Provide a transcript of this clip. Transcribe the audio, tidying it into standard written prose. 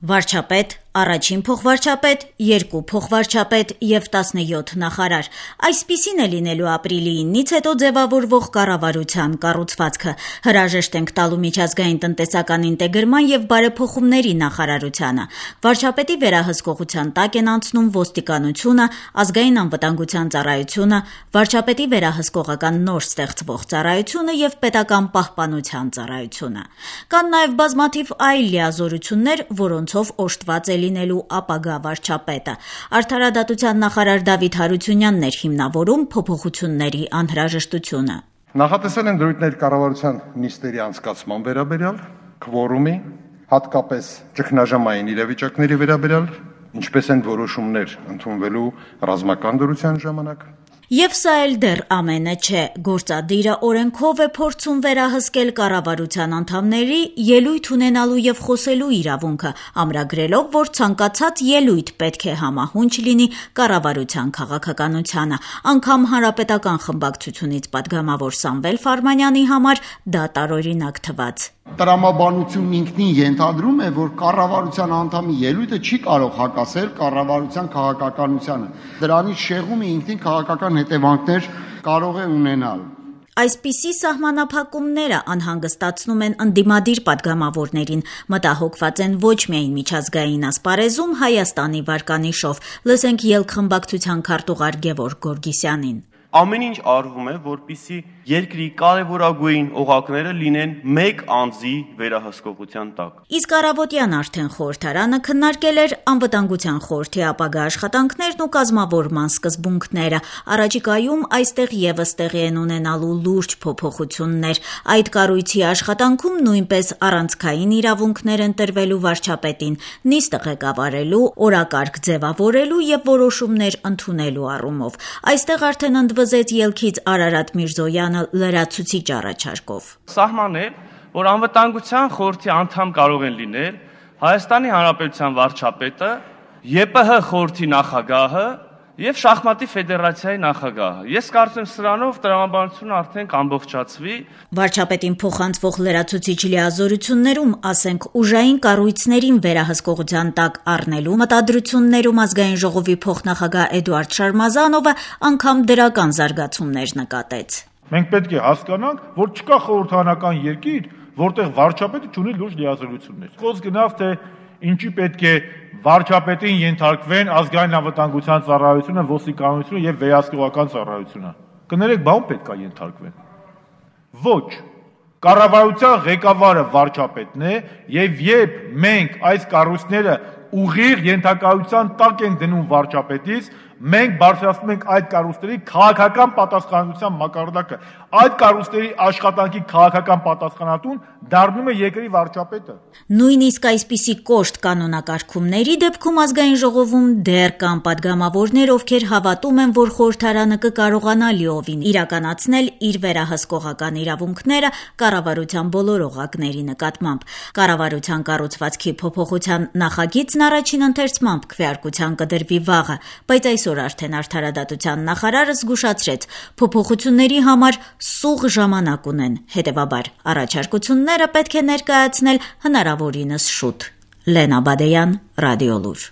Վարչապետ, առաջին փոխվարչապետ, 2 փոխվարչապետ և 17 նախարար։ Այսպիսին է լինելու ապրիլի 9-ից հետո ձևավորվող կառավարության կառուցվածքը։ Հրաժեշտ ենք տալու միջազգային տնտեսական ինտեգրման և բարեփոխումների նախարարությանը։ Վարչապետի վերահսկողության տակ են անցնում ոստիկանությունը, ազգային անվտանգության ծառայությունը, վարչապետի վերահսկողական նոր ստեղծվող ծառայությունը և պետական պահպանության ծառայությունը։ Կան նաև բազմաթիվ այլ լիազորություններ, որոնցով օժտված է լինելու ապագա վարչապետը։ Արդարադատության նախարար Դավիթ Հարությունյանն էր հիմնավորում փոփոխությունների անհրաժեշտությունը։ Նախատեսել են դրույթներ կառավարության նիստերի անցկացման վերաբերյալ, քվորումի, հատկապես ճգնաժամային իրավիճակների վերաբերյալ, ինչպես են որոշումներ ընդունվելու ռազմական դրության ժամանակ։ Եվ սա էլ դեռ ամենը չէ։ Գործադիրը օրենքով է փորձում վերահսկել կառավարության անդամների ելույթ ունենալու և խոսելու իրավունքը, ամրագրելով, որ ցանկացած ելույթ պետք է համահունչ լինի կառավարության քաղաքականությանը։ Անգամ հանրապետական խմբակցությունից պատգամավոր Սամվել Ֆարմանյանի համար դա տարօրինակ թվաց։ Տրամաբանությունն ինքնին ենթադրում է, որ կառավարության անդամի ելույթը չի կարող հակասել կառավարության քաղաքականությանը։ Դրանից շեղումը ինքնին քաղաքական հետևանքներ կարող է ունենալ։ Այսպիսի սահմանափակումները անհանգստացնում են ընդդիմադիր պատգամավորներին, մտահոգված են ոչ միայն միջազգային ասպարեզում Հայաստանի վարկանիշով։ Լսենք ելք խմբակցության քարտուղար Գևորգ Գորգիսյանին։ Ամեն ինչ արվում է, որպեսզի երկրի կարևորագույն օղակները լինեն մեկ անձի վերահսկողության տակ։ Իսկ առավոտյան արդեն խորհրդարանը քննարկել էր անվտանգության խորհրդի ապագա աշխատանքներն ու կազմավորման սկզբունքները։ Առաջիկայում այստեղ ևս տեղի են ունենալու լուրջ փոփոխություններ։ Այդ կառույցի աշխատանքում նույնպես առանցքային իրավունքներ են տրվելու վարչապետին, նիստը ղեկավարելու, օրակարգ ձևավորելու և որոշումներ ընդունելու առումով։ Այստեղ արդեն ընդվզեց ելքից Արարատ Միրզոյանը լրացուցիչ առաջարկով։ Սահմանել, որ անվտանգության խորհրդի անդամ կարող են լինել Հայաստանի Հանրապետության վարչապետը, ԵՊՀ խորհրդի նախագահը և շախմատի ֆեդերացիայի նախագահը։ Ես կարծում եմ սրանով տրամաբանությունը արդեն կամբողջացվի։ Վարչապետին փոխանցվող լրացուցիչ լիազորություններում, ասենք, ուժային կառույցներին վերահսկողության տակ առնելու մտադրություններում Ազգային ժողովի փոխնախագահ Էդուարդ Շարմազանովը անգամ դրական զարգացումներ նկատեց։ Մենք պետք է հասկանանք, որ չկա խորհրդարանական երկիր, որտեղ վարչապետը չունի լուրջ լիազորություններ։ Խոսք գնավ, թե ինչի պետք է վարչապետին ենթարկվեն ազգային անվտանգության ծառայությունը, ոստիկանությունը եւ վերահսկողական ծառայությունը։ Կներեք, բան պետք է ենթարկվեն։ Ոչ, կառավարության ղեկավարը վարչապետն է եւ երբ մենք այս կառույցները ուղիղ ենթակայության տակ ենք դնում վարչապետից, մենք բարձրացնում ենք այդ կառույցների քաղաքական պատասխանատվության մակարդակը։ Այդ կառույցների աշխատանքի քաղաքական պատասխանատուն դառնում է երկրի վարչապետը։ Նույնիսկ այսպիսի կոշտ կանոնակարգումների դեպքում Ազգային ժողովում դեռ կան պատգամավորներ, ովքեր հավատում են, որ խորհրդարանը կկարողանա լիովին իրականացնել իր վերահսկողական իրավունքները կառավարության բոլոր օղակների նկատմամբ։ Կառավարության կառուցվածքի փոփոխության նախագիծն առաջին ընթերցմամբ քվեարկության կդրվի վաղը, բայց այսօր արդեն արդարադատության նախարարը զգուշացրեց, փոփոխությունների համար սուղ ժամանակ ունեն, հետևաբար առաջարկությունները պետք է ներկայացնել հնարավորինս շուտ։ Լենա Բադեյան, Ռադիոլուր։